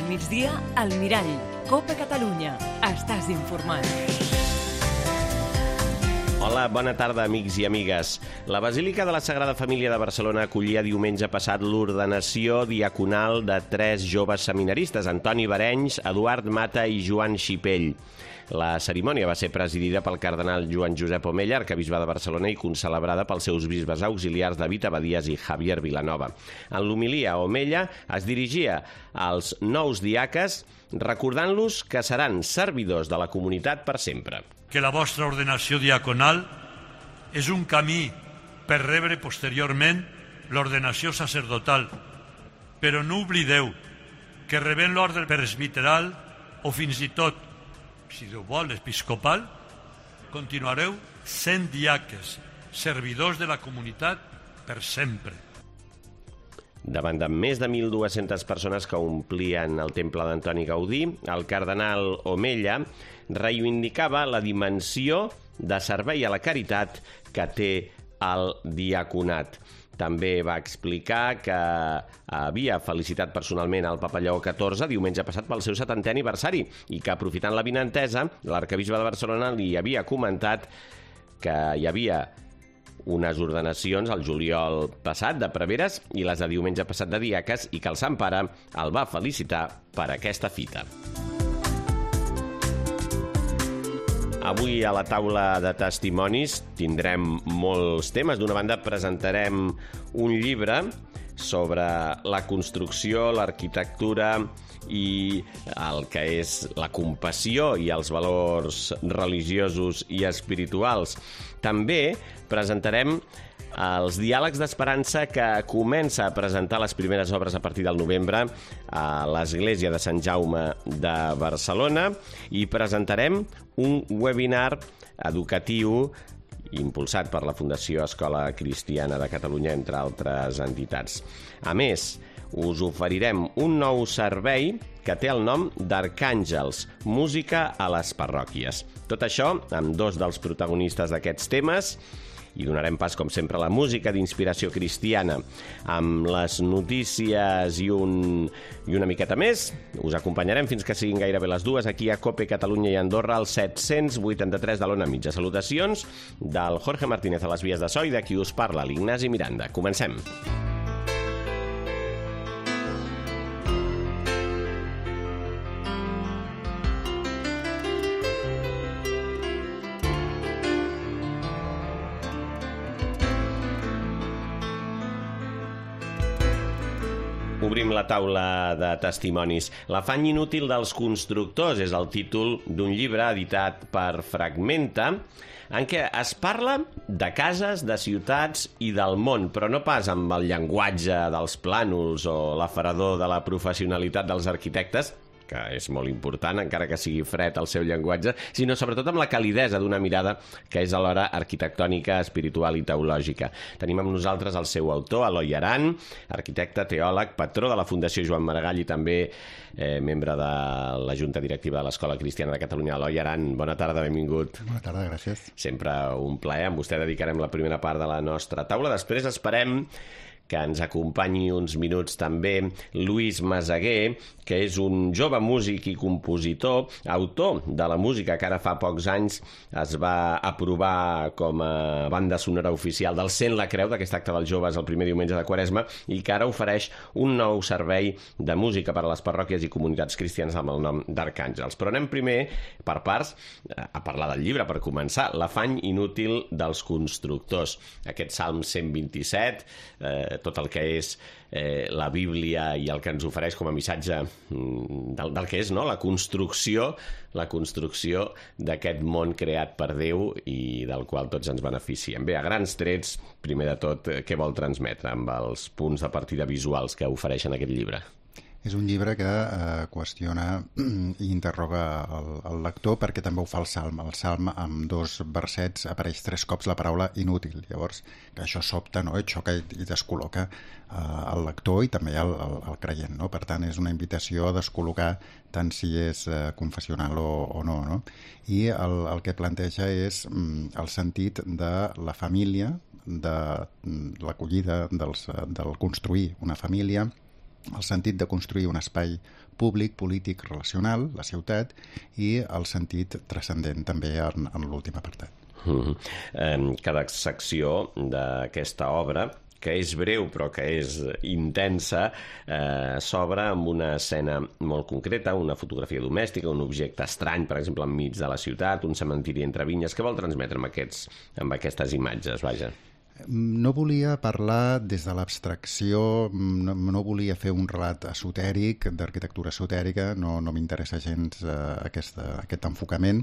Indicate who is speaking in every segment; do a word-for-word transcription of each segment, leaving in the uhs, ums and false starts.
Speaker 1: al migdia, al Mirall. Copa Catalunya. Estàs informat.
Speaker 2: Hola, bona tarda, amics i amigues. La Basílica de la Sagrada Família de Barcelona acollia diumenge passat l'ordenació diaconal de tres joves seminaristes, Antoni Barenys, Eduard Mata i Joan Xipell. La cerimònia va ser presidida pel cardenal Joan Josep Omella, arquebisbe de Barcelona, i concelebrada pels seus bisbes auxiliars David Abadías i Javier Vilanova. En l'homilia, Omella es dirigia als nous diaques recordant-los que seran servidors de la comunitat per sempre.
Speaker 3: Que la vostra ordenació diaconal és un camí per rebre posteriorment l'ordenació sacerdotal, però no oblideu que rebent l'ordre presbiteral o fins i tot, si Déu vol, episcopal, continuareu sent diaques, servidors de la comunitat per sempre.
Speaker 2: Davant de més de mil dues-centes persones que omplien el temple d'Antoni Gaudí, el cardenal Omella reivindicava la dimensió de servei a la caritat que té el diaconat. També va explicar que havia felicitat personalment el papa Lleó catorze diumenge passat pel seu setantè aniversari i que, aprofitant l'avinentesa, l'arquebisbe de Barcelona li havia comentat que hi havia unes ordenacions al juliol passat de preveres i les de diumenge passat de diaques i que el Sant Pare el va felicitar per aquesta fita. Avui a la taula de testimonis tindrem molts temes. D'una banda presentarem un llibre sobre la construcció, l'arquitectura i el que és la compassió i els valors religiosos i espirituals. També presentarem els diàlegs d'esperança que comença a presentar les primeres obres a partir del novembre a l'Església de Sant Jaume de Barcelona i presentarem un webinar educatiu impulsat per la Fundació Escola Cristiana de Catalunya, entre altres entitats. A més, us oferirem un nou servei que té el nom d'Arcàngels, música a les parròquies. Tot això amb dos dels protagonistes d'aquests temes i donarem pas, com sempre, a la música d'inspiració cristiana. Amb les notícies i, un, i una miqueta més, us acompanyarem fins que siguin gairebé les dues aquí a Cope Catalunya i Andorra, al set-cents vuitanta-tres de l'Ona Mitja. Salutacions del Jorge Martínez a les vies de so i de qui us parla, l'Ignasi Miranda. Comencem. Obrim la taula de testimonis. L'afany inútil dels constructors és el títol d'un llibre editat per Fragmenta, en què es parla de cases, de ciutats i del món, però no pas amb el llenguatge dels plànols o l'afarador de la professionalitat dels arquitectes, que és molt important, encara que sigui fred el seu llenguatge, sinó sobretot amb la calidesa d'una mirada que és alhora arquitectònica, espiritual i teològica. Tenim amb nosaltres el seu autor, Eloi Aran, arquitecte, teòleg, patró de la Fundació Joan Maragall i també eh, membre de la Junta Directiva de l'Escola Cristiana de Catalunya. Eloi Aran, bona tarda, benvingut.
Speaker 4: Bona tarda, gràcies.
Speaker 2: Sempre un plaer. Amb vostè dedicarem la primera part de la nostra taula. Després esperem que ens acompanyi uns minuts també Lluís Meseguer, que és un jove músic i compositor, autor de la música que ara fa pocs anys es va aprovar com a banda sonora oficial del Sent la Creu, d'aquest acte dels joves el primer diumenge de Quaresma, i que ara ofereix un nou servei de música per a les parròquies i comunitats cristianes amb el nom d'Arcàngels. Però anem primer, per parts, a parlar del llibre, per començar, L'afany inútil dels constructors. Aquest Salm cent vint-i-set, eh, tot el que és eh, la Bíblia i el que ens ofereix com a missatge del, del que és, no?, la construcció, la construcció d'aquest món creat per Déu i del qual tots ens beneficiem. Bé, a grans trets, primer de tot, què vol transmetre amb els punts de partida visuals que ofereixen aquest llibre?
Speaker 4: És un llibre que eh, qüestiona i interroga el, el lector, perquè també ho fa el Salm. El Salm, amb dos versets, apareix tres cops la paraula inútil. Llavors, que això sobta, no?, i xoca i, i descol·loca eh, el lector i també el, el, el creient, no? Per tant, és una invitació a descol·locar tant si és eh, confessional o, o no, no? I el, el que planteja és mm, el sentit de la família, de l'acollida, del construir una família, el sentit de construir un espai públic, polític, relacional, la ciutat, i el sentit transcendent també en, en l'últim apartat.
Speaker 2: Mm-hmm. Cada secció d'aquesta obra, que és breu però que és intensa, eh, s'obre amb una escena molt concreta, una fotografia domèstica, un objecte estrany, per exemple, enmig de la ciutat, un cementiri entre vinyes. Què vol transmetre amb, aquests, amb aquestes imatges, vaja?
Speaker 4: No volia parlar des de l'abstracció, no, no volia fer un relat esotèric, d'arquitectura esotèrica, no, no m'interessa gens eh, aquesta, aquest enfocament,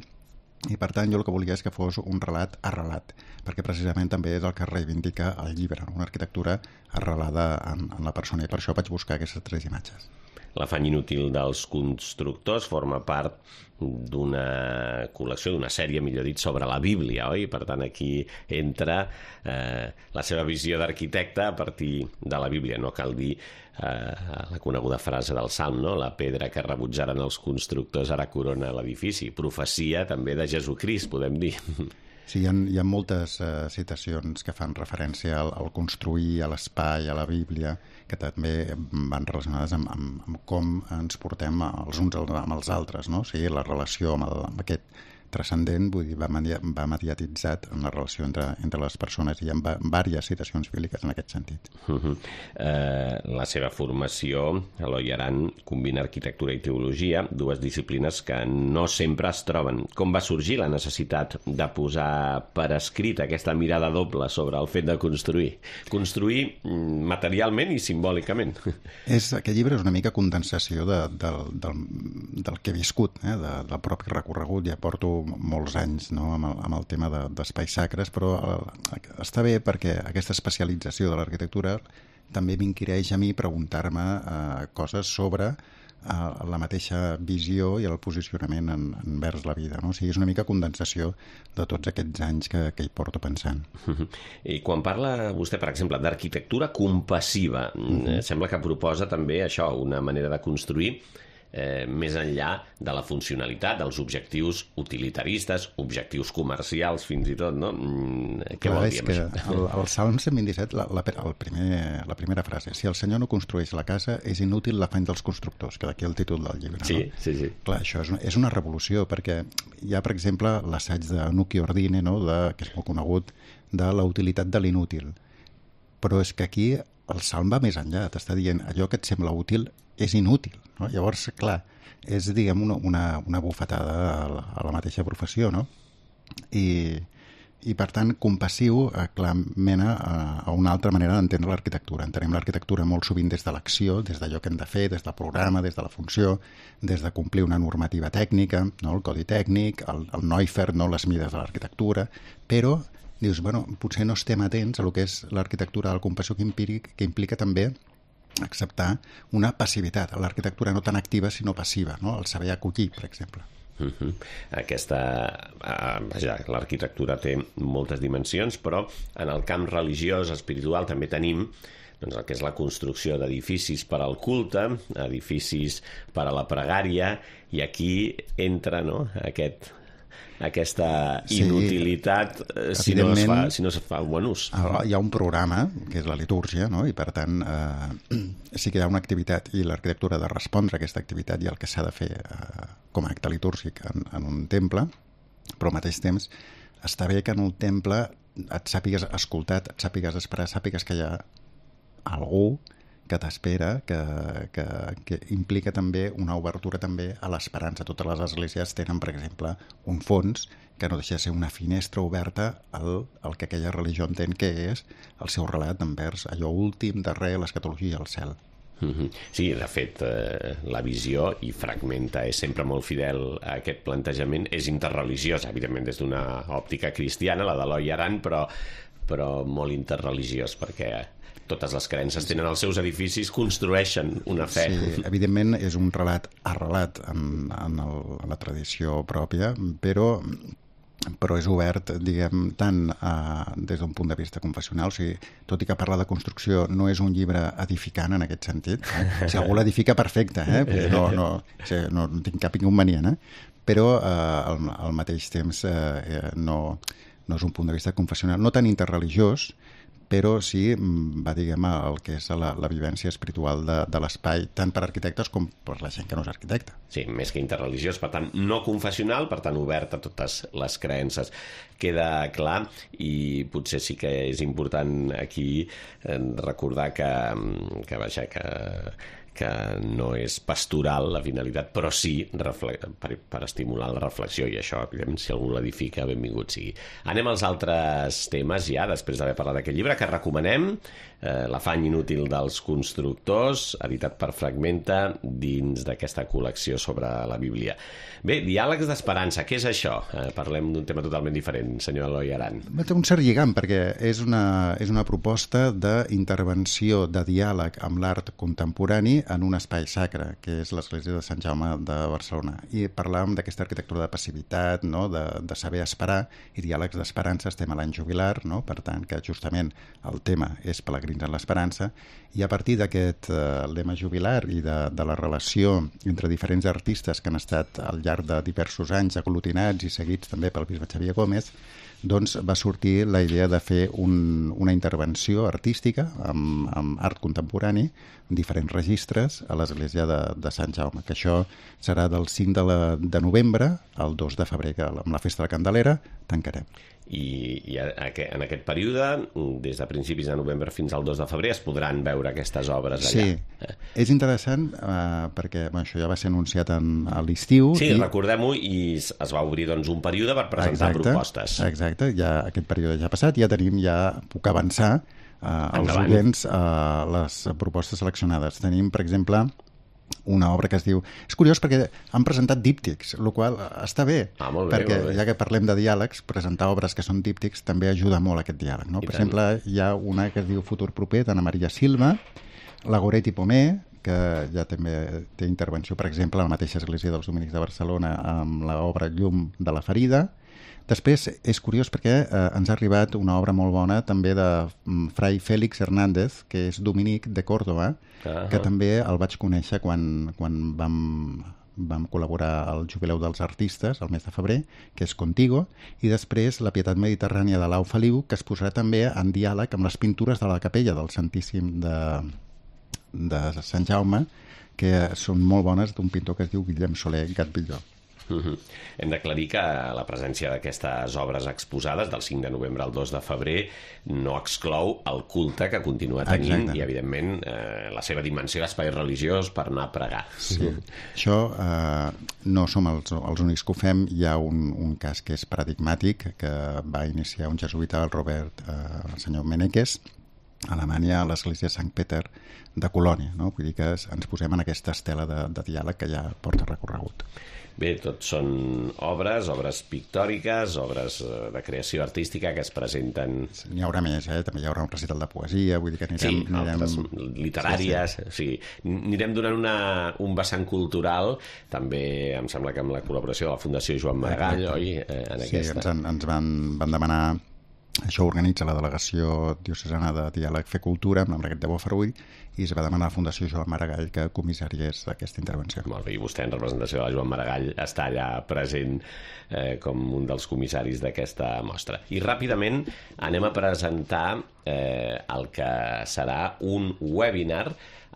Speaker 4: i per tant jo el que volia és que fos un relat arrelat, perquè precisament també és el que reivindica el llibre, una arquitectura arrelada en, en la persona, i per això vaig buscar aquestes tres imatges.
Speaker 2: L'afany inútil dels constructors forma part d'una col·lecció, d'una sèrie, millor dit, sobre la Bíblia, oi? Per tant, aquí entra eh, la seva visió d'arquitecte a partir de la Bíblia. No cal dir eh, la coneguda frase del Salm, no? La pedra que rebutjaren els constructors ara corona l'edifici. Profecia també de Jesucrist, podem dir.
Speaker 4: Sí, hi ha, hi ha moltes uh, citacions que fan referència al, al construir, a l'espai, a la Bíblia, que també van relacionades amb, amb, amb com ens portem els uns amb els altres, no? O sigui, la relació amb, el, amb aquest transcendent, vull dir, va, va mediatitzat en la relació entre, entre les persones, i hi ha diverses citacions bíbliques en aquest sentit.
Speaker 2: Uh-huh. eh, la seva formació, Eloi Aran, combina arquitectura i teologia, dues disciplines que no sempre es troben. Com va sorgir la necessitat de posar per escrit aquesta mirada doble sobre el fet de construir? Construir materialment i simbòlicament.
Speaker 4: És, aquest llibre és una mica condensació de, de, del, del que he viscut, eh? de, del propi recorregut. Ja porto molts anys, no? amb, el, amb el tema de, d'espais sacres, però el, està bé perquè aquesta especialització de l'arquitectura també m'inquireix a mi preguntar-me eh, coses sobre eh, la mateixa visió i el posicionament en, envers la vida, no? O sigui, és una mica condensació de tots aquests anys que, que hi porto pensant.
Speaker 2: I quan parla vostè, per exemple, d'arquitectura compassiva, uh-huh. sembla que proposa també això, una manera de construir Eh, més enllà de la funcionalitat, dels objectius utilitaristes, objectius comercials, fins i tot, no? Mm, què
Speaker 4: Clar,
Speaker 2: vol dir amb
Speaker 4: és
Speaker 2: això?
Speaker 4: que el, el Salm cent vint-i-set, la, la, el primer, la primera frase, si el Senyor no construeix la casa, és inútil l'afany dels constructors, que d'aquí el títol del llibre.
Speaker 2: Sí,
Speaker 4: no?
Speaker 2: sí, sí.
Speaker 4: Clar, això és una, és una revolució, perquè hi ha, per exemple, l'assaig de Nuccio Ordine, no? de, que és molt conegut, de la utilitat de l'inútil. Però és que aquí el Salm va més enllà, t'està dient allò que et sembla útil és inútil, no? Llavors, clar, és, diguem, una, una, una bufetada a la, a la mateixa professió, no? I, i per tant, compassiu, eh, clar, mena a, a una altra manera d'entendre l'arquitectura. Entenem l'arquitectura molt sovint des de l'acció, des d'allò que hem de fer, des del programa, des de la funció, des de complir una normativa tècnica, no? El codi tècnic, el, el Neufert, no? Les mides de l'arquitectura, però dius, bueno, potser no estem atents a lo que és l'arquitectura del compassió que implica, que implica també acceptar una passivitat, l'arquitectura no tan activa sinó passiva, no? El saber acollir, per exemple.
Speaker 2: Uh-huh. Aquesta, uh, vaja, l'arquitectura té moltes dimensions, però en el camp religiós, espiritual, també tenim doncs, el que és la construcció d'edificis per al culte, edificis per a la pregària, i aquí entra, no?, aquest... aquesta inutilitat sí, si, no es fa, si no es fa un bon ús.
Speaker 4: Hi ha un programa, que és la litúrgia, no? I per tant eh, sí que hi ha una activitat i l'arquitectura ha de respondre a aquesta activitat i el que s'ha de fer eh, com a acte litúrgic en, en un temple, però al mateix temps està bé que en un temple et sàpigues escoltat, et sàpigues esperar, sàpigues que hi ha algú que t'espera, que, que, que implica també una obertura també a l'esperança. Totes les esglésies tenen, per exemple, un fons que no deixa de ser una finestra oberta al, al que aquella religió entén que és el seu relat envers allò últim, darrer, l'escatologia, el cel.
Speaker 2: Mm-hmm. Sí, de fet, eh, la visió, i Fragmenta és sempre molt fidel a aquest plantejament, és interreligiosa, evidentment des d'una òptica cristiana, la d'Eloi Aran, però, però molt interreligiós, perquè totes les creences tenen els seus edificis, construeixen una fe.
Speaker 4: Sí, evidentment és un relat arrelat en, en, el, en la tradició pròpia, però, però és obert, diguem, tant eh, des d'un punt de vista confessional, o sigui, tot i que parla de construcció no és un llibre edificant en aquest sentit. Eh? Si algú l'edifica, perfecte, eh? no, no, o sigui, no tinc cap inconvenient, eh? Però eh, al, al mateix temps eh, no, no és un punt de vista confessional, no tan interreligiós, però sí va, diguem, el que és la, la vivència espiritual de, de l'espai, tant per arquitectes com per la gent que no és arquitecte.
Speaker 2: Sí, més que interreligiós, per tant, no confessional, per tant, obert a totes les creences. Queda clar, i potser sí que és important aquí recordar que, que vaja, que que no és pastoral la finalitat, però sí per, per estimular la reflexió, i això, si algú l'edifica, benvingut sigui. Anem als altres temes ja, després d'haver parlat d'aquest llibre, que recomanem, eh, L'afany inútil dels constructors, editat per Fragmenta, dins d'aquesta col·lecció sobre la Bíblia. Bé, diàlegs d'esperança, què és això? Eh, parlem d'un tema totalment diferent, senyor Eloi Aran.
Speaker 4: Té un cert lligam, perquè és una, és una proposta d'intervenció, de diàleg amb l'art contemporani en un espai sacre, que és l'església de Sant Jaume de Barcelona. I parlàvem d'aquesta arquitectura de passivitat, no? de, de saber esperar, i diàlegs d'esperança. Estem a l'any jubilar, no? Per tant, que justament el tema és pelegrins en l'esperança, i a partir d'aquest eh, lema jubilar i de, de la relació entre diferents artistes que han estat al llarg de diversos anys aglutinats i seguits també pel bisbe Xavier Gómez, doncs va sortir la idea de fer un, una intervenció artística amb, amb art contemporani en diferents registres a l'església de, de Sant Jaume, que això serà del cinc de, la, de novembre al dos de febrer, que amb la Festa de la Candelera tancarem.
Speaker 2: I, i en aquest període, des de principis de novembre fins al dos de febrer, es podran veure aquestes obres allà.
Speaker 4: Sí, és interessant eh, perquè bueno, això ja va ser anunciat en, a l'estiu.
Speaker 2: Sí,
Speaker 4: i...
Speaker 2: recordem-ho, i es va obrir doncs, un període per presentar
Speaker 4: exacte,
Speaker 2: propostes.
Speaker 4: Exacte, ja aquest període ja ha passat, ja tenim, ja puc avançar eh, als oients eh, les propostes seleccionades. Tenim, per exemple, una obra que es diu... És curiós perquè han presentat díptics, el qual està bé,
Speaker 2: ah, molt bé,
Speaker 4: perquè
Speaker 2: molt bé.
Speaker 4: Ja que parlem de diàlegs, presentar obres que són díptics també ajuda molt a aquest diàleg. No? Per tant. exemple, hi ha una que es diu Futur proper, d'Anna Maria Silva, la Goretti Pomé, que ja també té intervenció, per exemple, a la mateixa església dels Dominics de Barcelona amb l'obra Llum de la ferida. Després, és curiós perquè eh, ens ha arribat una obra molt bona també de um, Fray Félix Hernández, que és dominic de Córdoba, uh-huh. que també el vaig conèixer quan, quan vam, vam col·laborar al Jubileu dels Artistes, el mes de febrer, que és Contigo, i després La Pietat Mediterrània de Lau Feliu, que es posarà també en diàleg amb les pintures de la capella del Santíssim de, de Sant Jaume, que són molt bones, d'un pintor que es diu Guillem Soler Gatbilló.
Speaker 2: Uh-huh. Hem d'aclarir que la presència d'aquestes obres exposades del cinc de novembre al dos de febrer no exclou el culte que continua tenint. Exacte. I, evidentment, eh, la seva dimensió d'espai religiós per anar a pregar.
Speaker 4: Sí. Això eh, no som els, els únics que ho fem. Hi ha un, un cas que és paradigmàtic, que va iniciar un jesuïta, el Robert, eh, el senyor Meneques, a Alemanya, a l'església de Sant Peter de Colònia. No? Vull dir que ens posem en aquesta estela de, de diàleg que ja porta recorregut.
Speaker 2: Bé, tot són obres, obres pictòriques, obres de creació artística que es presenten...
Speaker 4: N'hi haurà més, eh? També hi haurà un recital de poesia, vull dir que anirem...
Speaker 2: Sí, altres anirem... literàries, sí, sí. sí. Anirem donant una, un vessant cultural, també em sembla que amb la col·laboració de la Fundació Joan Maragall, Exacte. oi? Eh, en
Speaker 4: sí,
Speaker 2: aquesta.
Speaker 4: ens, ens van, van demanar... Això organitza la Delegació Diocesana de Diàleg Fer Cultura, amb l'Enriquet de Bofarull, i es va demanar a la Fundació Joan Maragall que comissariés aquesta intervenció.
Speaker 2: Molt bé, i vostè, en representació de la Joan Maragall, està allà present eh, com un dels comissaris d'aquesta mostra. I ràpidament anem a presentar eh, el que serà un webinar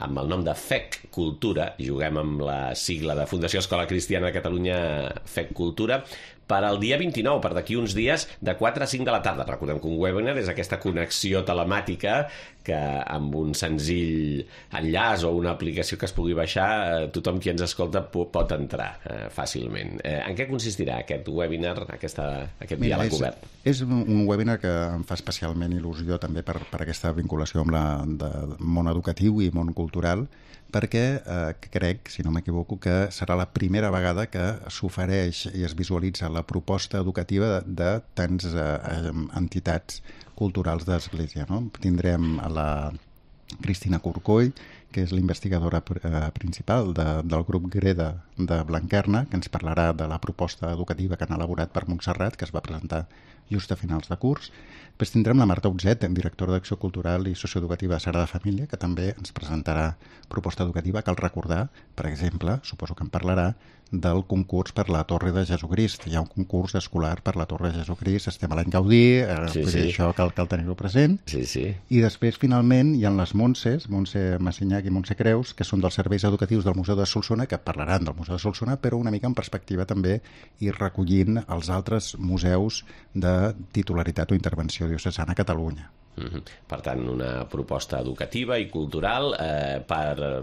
Speaker 2: amb el nom de F E C Cultura, juguem amb la sigla de Fundació Escola Cristiana de Catalunya, F E C Cultura, per al dia vint-i-nou, per d'aquí uns dies, de quatre a cinc de la tarda. Recordem que un webinar és aquesta connexió telemàtica que amb un senzill enllaç o una aplicació que es pugui baixar, tothom qui ens escolta pot entrar eh, fàcilment. Eh, en què consistirà aquest webinar, aquesta, aquest
Speaker 4: Mira,
Speaker 2: diàleg
Speaker 4: és,
Speaker 2: obert?
Speaker 4: És un webinar que em fa especialment il·lusió també per, per aquesta vinculació amb la de món educatiu i món cultural, perquè eh, crec, si no m'equivoco, que serà la primera vegada que s'ofereix i es visualitza la proposta educativa de, de tants eh, entitats culturals d'Església. No? Tindrem a la, Cristina Corcoll, que és l'investigadora principal de, del grup GREDA de Blanquerna, que ens parlarà de la proposta educativa que han elaborat per Montserrat, que es va presentar just a finals de curs. Després tindrem la Marta Utzet, directora d'Acció Cultural i Socioeducativa de Sagrada Família, que també ens presentarà proposta educativa. Cal recordar, per exemple, suposo que en parlarà, del concurs per la Torre de Jesucrist. Hi ha un concurs escolar per la Torre de Jesucrist, estem a l'any Gaudí, eh, sí, sí. Això cal, cal tenir-ho present.
Speaker 2: Sí, sí.
Speaker 4: I després, finalment, hi ha les Montses, Montse Massinyac i Montse Creus, que són dels serveis educatius del Museu de Solsona, que parlaran del Museu de Solsona, però una mica en perspectiva també i recollint els altres museus de titularitat o intervenció diocesana a Catalunya.
Speaker 2: Mm-hmm. Per tant, una proposta educativa i cultural. Eh, per eh,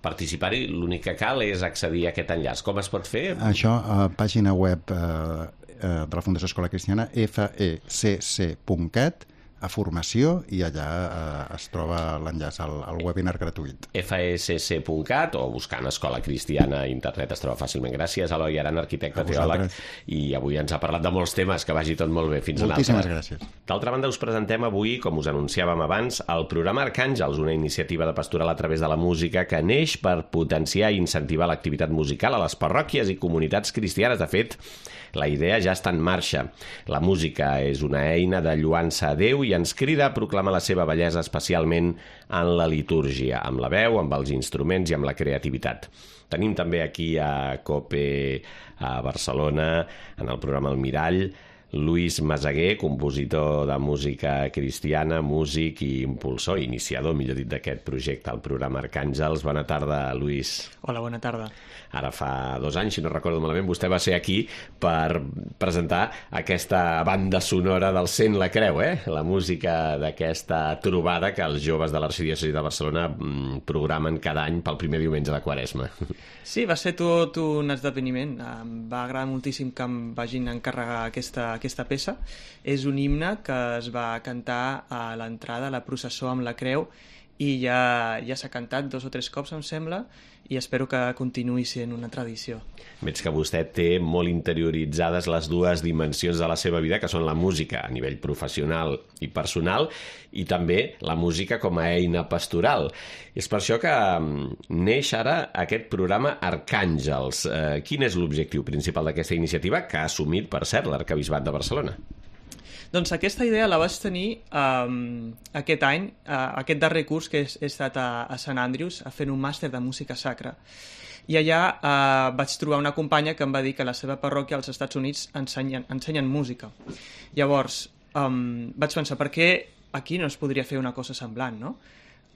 Speaker 2: participar-hi, l'únic que cal és accedir a aquest enllaç. Com es pot fer?
Speaker 4: Això, a pàgina web eh, de la Fundació Escola Cristiana, f e c c punt cat, a formació, i allà eh, es troba l'enllaç al, al webinar gratuït.
Speaker 2: f e c c punt cat o buscant Escola Cristiana a internet es troba fàcilment. Gràcies, Eloi Aran, arquitecte, teòleg, i avui ens ha parlat de molts temes. Que vagi tot molt bé. Fins una altra.
Speaker 4: Moltíssimes gràcies.
Speaker 2: D'altra banda, us presentem avui, com us anunciàvem abans, el programa Arcàngels, una iniciativa de pastoral a través de la música que neix per potenciar i incentivar l'activitat musical a les parròquies i comunitats cristianes. De fet, la idea ja està en marxa. La música és una eina de lloança a Déu i ens crida a proclamar la seva bellesa, especialment en la litúrgia, amb la veu, amb els instruments i amb la creativitat. Tenim també aquí a COPE a Barcelona, en el programa El Mirall, Lluís Meseguer, compositor de música cristiana, músic i impulsor, iniciador, millor dit, d'aquest projecte, el programa Arcàngels. Bona tarda, Lluís.
Speaker 5: Hola, bona tarda.
Speaker 2: Ara fa dos anys, si no recordo malament, vostè va ser aquí per presentar aquesta banda sonora del Sent la Creu, eh? La música d'aquesta trobada que els joves de l'Arxidiòcesi de Barcelona programen cada any pel primer diumenge de Quaresma.
Speaker 5: Sí, va ser tot un esdeveniment. Em va agradar moltíssim que em vagin encarregar aquesta, aquesta peça. És un himne que es va cantar a l'entrada a la processó amb la creu i ja, ja s'ha cantat dos o tres cops, em sembla, i espero que continuï sent una tradició.
Speaker 2: Veig que vostè té molt interioritzades les dues dimensions de la seva vida, que són la música a nivell professional i personal, i també la música com a eina pastoral. És per això que neix ara aquest programa Arcàngels. Eh, quin és l'objectiu principal d'aquesta iniciativa, que ha assumit, per cert, l'Arquebisbat de Barcelona?
Speaker 5: Doncs aquesta idea la vaig tenir um, aquest any, uh, aquest darrer curs que he, he estat a, a Sant Andrews fent un màster de música sacra. I allà uh, vaig trobar una companya que em va dir que a la seva parròquia als Estats Units ensenyen, ensenyen música. Llavors um, vaig pensar, per què aquí no es podria fer una cosa semblant, no?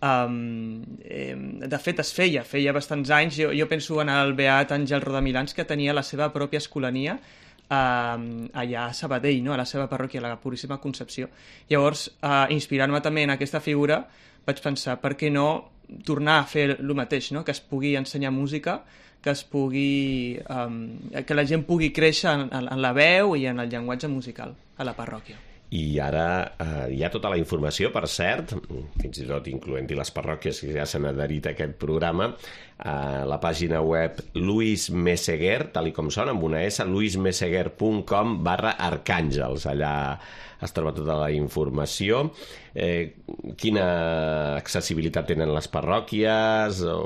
Speaker 5: Um, eh, de fet es feia, feia bastants anys. Jo, jo penso en el beat Àngel Rodamilans, que tenia la seva pròpia escolania Uh, allà a Sabadell, no? A la seva parròquia, la Puríssima Concepció. Llavors, uh, inspirant-me també en aquesta figura, vaig pensar, per què no tornar a fer el mateix, no? Que es pugui ensenyar música, que es pugui um, que la gent pugui créixer en, en la veu i en el llenguatge musical a la parròquia.
Speaker 2: I ara eh, hi ha tota la informació, per cert, fins i tot incloent-hi les parròquies que ja s'han adherit a aquest programa, a la pàgina web Lluís Meseguer, tal i com sona, amb una S, luismeseguer punt com barra arcàngels. Allà es troba tota la informació. Eh, quina accessibilitat tenen les parròquies, o,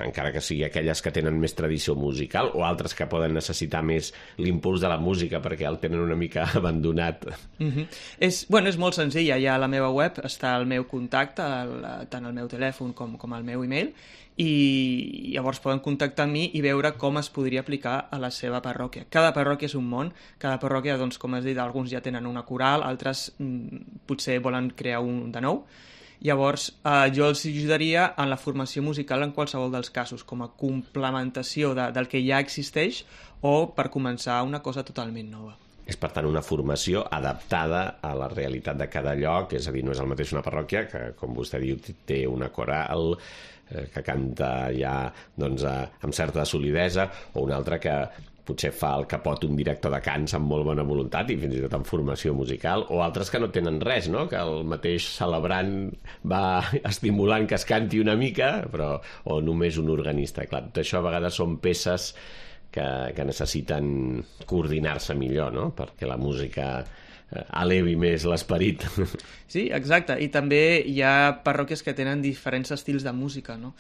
Speaker 2: encara que sigui aquelles que tenen més tradició musical, o altres que poden necessitar més l'impuls de la música perquè el tenen una mica abandonat?
Speaker 5: Mm-hmm. és, bueno, és molt senzill. Allà a la meva web està el meu contacte, el, tant el meu telèfon com, com el meu e-mail, i llavors poden contactar amb mi i veure com es podria aplicar a la seva parròquia. Cada parròquia és un món, cada parròquia, doncs, com has dit, alguns ja tenen una coral, altres mm, potser volen crear un de nou. Llavors, eh, jo els ajudaria en la formació musical en qualsevol dels casos, com a complementació de, del que ja existeix o per començar una cosa totalment nova.
Speaker 2: És, per tant, una formació adaptada a la realitat de cada lloc, és a dir, no és el mateix una parròquia que, com vostè diu, té una coral eh, que canta ja doncs, eh, amb certa solidesa, o una altra que potser fa el capot un director de cants amb molt bona voluntat i fins i tot amb formació musical, o altres que no tenen res, no? Que el mateix celebrant va estimulant que es canti una mica, però, o només un organista. Clar, tot això a vegades són peces que, que necessiten coordinar-se millor, no? Perquè la música elevi més l'esperit.
Speaker 5: Sí, exacte, i també hi ha parròquies que tenen diferents estils de música, no?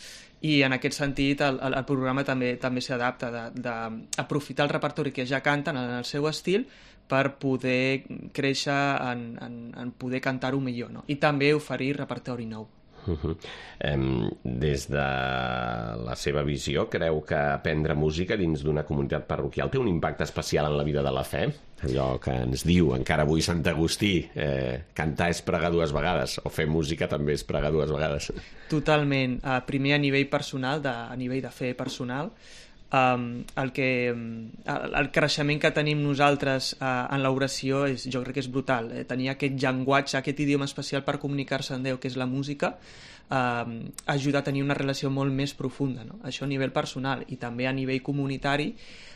Speaker 5: I en aquest sentit el, el, el programa també també s'adapta d'aprofitar el repertori que ja canten en el seu estil per poder créixer en, en, en poder cantar-ho millor, no? I també oferir repertori nou.
Speaker 2: Uh-huh. Um, des de la seva visió, creu que aprendre música dins d'una comunitat parroquial té un impacte especial en la vida de la fe? Allò que ens diu encara avui Sant Agustí, eh, cantar és pregar dues vegades, o fer música també és pregar dues vegades.
Speaker 5: Totalment. Uh, primer a nivell personal, de, a nivell de fe personal, um, el, que, el, el creixement que tenim nosaltres uh, en l'oració és, jo crec que és brutal. Eh? Tenir aquest llenguatge, aquest idioma especial per comunicar-se amb Déu, que és la música, uh, ajuda a tenir una relació molt més profunda, no? Això a nivell personal, i també a nivell comunitari,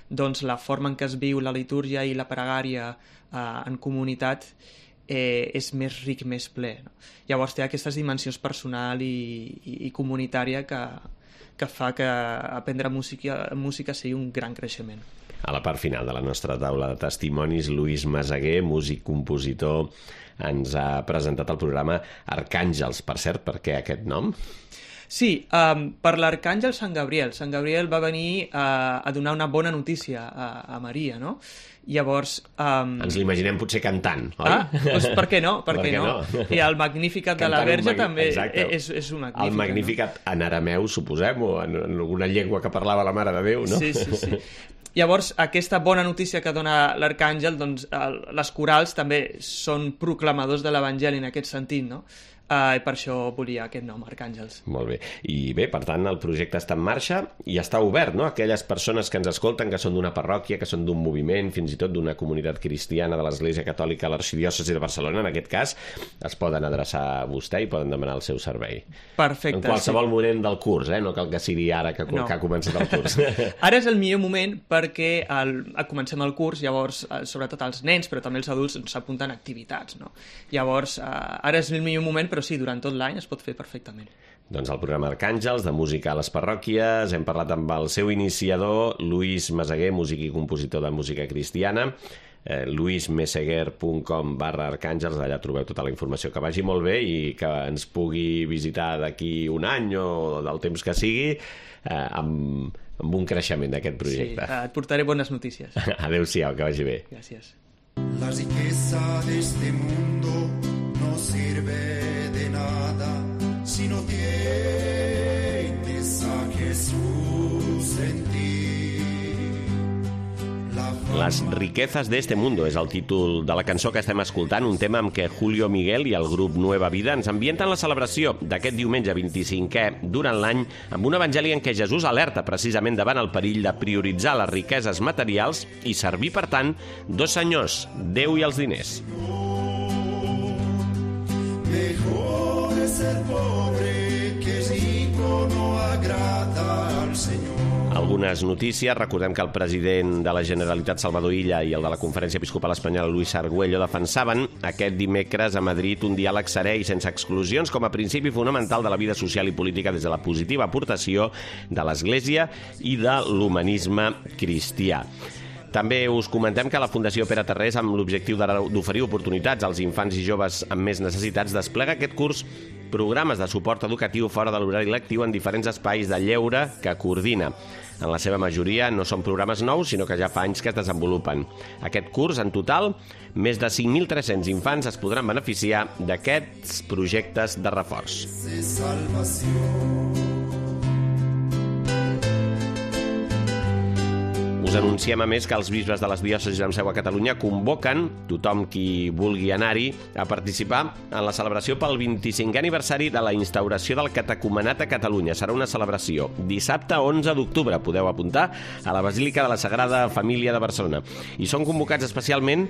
Speaker 5: doncs la forma en què es viu la litúrgia i la pregària eh, en comunitat eh, és més ric, més ple, no? Llavors té aquestes dimensions personal i, i, i comunitària que, que fa que aprendre música, música sigui un gran creixement.
Speaker 2: A la part final de la nostra taula de testimonis, Lluís Meseguer, músic, compositor, ens ha presentat el programa Arcàngels. Per cert, per què aquest nom?
Speaker 5: Sí, um, per l'Arcàngel Sant Gabriel. Sant Gabriel va venir uh, a donar una bona notícia a, a Maria, no? Llavors... Um...
Speaker 2: Ens l'imaginem potser cantant, oi?
Speaker 5: Ah, doncs per què no? Per, per què no? no? I el Magnificat de la Verge mag... també és, és un Magnificat.
Speaker 2: El Magnificat, no? En arameu, suposem, o en, en alguna llengua que parlava la Mare de Déu, no?
Speaker 5: Sí, sí, sí. Llavors, aquesta bona notícia que dona l'Arcàngel, doncs el, les corals també són proclamadors de l'Evangeli en aquest sentit, no? Uh, i per això volia aquest nom, Arcàngels.
Speaker 2: Molt bé. I bé, per tant, el projecte està en marxa i està obert, no? Aquelles persones que ens escolten, que són d'una parròquia, que són d'un moviment, fins i tot d'una comunitat cristiana de l'Església Catòlica a l'Arxidiòcesi de Barcelona, en aquest cas, es poden adreçar a vostè i poden demanar el seu servei.
Speaker 5: Perfecte.
Speaker 2: En qualsevol sí. moment del curs, eh? No cal que sigui ara que, no. que ha començat el curs.
Speaker 5: Ara és el millor moment perquè el, comencem el curs, llavors, sobretot els nens, però també els adults s'apunten a activitats, no? Llavors, uh, ara és el millor moment, però sí, durant tot l'any es pot fer perfectament.
Speaker 2: Doncs el programa Arcàngels, de música a les parròquies, hem parlat amb el seu iniciador, Lluís Meseguer, músic i compositor de música cristiana, eh, luismeseguer punt com barra arcàngels, allà trobeu tota la informació. Que vagi molt bé i que ens pugui visitar d'aquí un any o del temps que sigui, eh, amb, amb un creixement d'aquest projecte.
Speaker 5: Sí, et portaré bones notícies.
Speaker 2: Adéu-siau, que vagi bé.
Speaker 5: Gràcies.
Speaker 6: La riqueza de este mundo no sirve de nada si no tienes a Jesús en ti.
Speaker 2: Las riquezas de este mundo és el títol de la cançó que estem escoltant, un tema amb què Julio Miguel i el grup Nueva Vida ens ambienten la celebració d'aquest diumenge vint-i-cinquè durant l'any amb un evangeli en què Jesús alerta precisament davant el perill de prioritzar les riqueses materials i servir, per tant, dos senyors, Déu i els diners.
Speaker 6: Mejor es ser pobre que rico no agrada al Señor.
Speaker 2: Algunes notícies. Recordem que el president de la Generalitat, Salvador Illa, i el de la Conferència Episcopal Espanyola, Luis Argüello, defensaven aquest dimecres a Madrid un diàleg serè i sense exclusions com a principi fonamental de la vida social i política des de la positiva aportació de l'Església i de l'humanisme cristià. També us comentem que la Fundació Pere Tarrés, amb l'objectiu d'oferir oportunitats als infants i joves amb més necessitats, desplega aquest curs programes de suport educatiu fora de l'horari lectiu en diferents espais de lleure que coordina. En la seva majoria no són programes nous, sinó que ja fa anys que es desenvolupen. Aquest curs, en total, més de cinc mil tres-cents infants es podran beneficiar d'aquests projectes de reforç. Us anunciem, a més, que els bisbes de les diòcesis amb seu a Catalunya convoquen tothom qui vulgui anar-hi a participar en la celebració pel vint-i-cinquè aniversari de la instauració del catecumenat a Catalunya. Serà una celebració dissabte onze d'octubre. Podeu apuntar a la Basílica de la Sagrada Família de Barcelona. I són convocats especialment,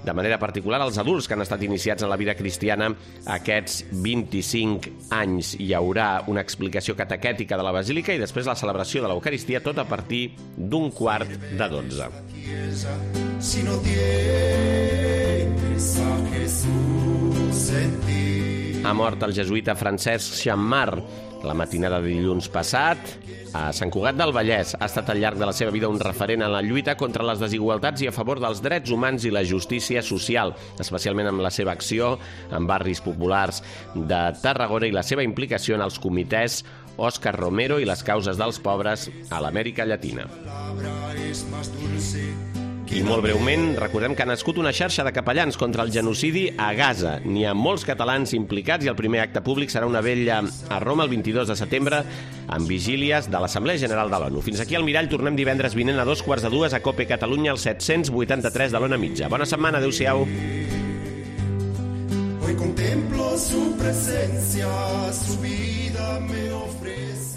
Speaker 2: de manera particular, els adults que han estat iniciats en la vida cristiana aquests vint-i-cinc anys. Hi haurà una explicació catequètica de la Basílica i després la celebració de l'Eucaristia, tot a partir d'un quart de dotze. Si no tienes a Jesús en ti. Ha mort el jesuïta Francesc Xammar, La matinada de dilluns passat, a Sant Cugat del Vallès, ha estat al llarg de la seva vida un referent en la lluita contra les desigualtats i a favor dels drets humans i la justícia social, especialment amb la seva acció en barris populars de Tarragona i la seva implicació en els comitès Òscar Romero i les causes dels pobres a l'Amèrica Llatina. I molt breument, recordem que ha nascut una xarxa de capellans contra el genocidi a Gaza. N'hi ha molts catalans implicats i el primer acte públic serà una vetlla a Roma el vint-i-dos de setembre amb vigílies de l'Assemblea General de l'ONU. Fins aquí al Mirall, tornem divendres vinent a dos quarts de dues a Cope Catalunya, al set-cents vuitanta-tres de l'Ona Mitja. Bona setmana, adeu-siau.
Speaker 6: Hoy contemplo su presencia, su vida me ofrece.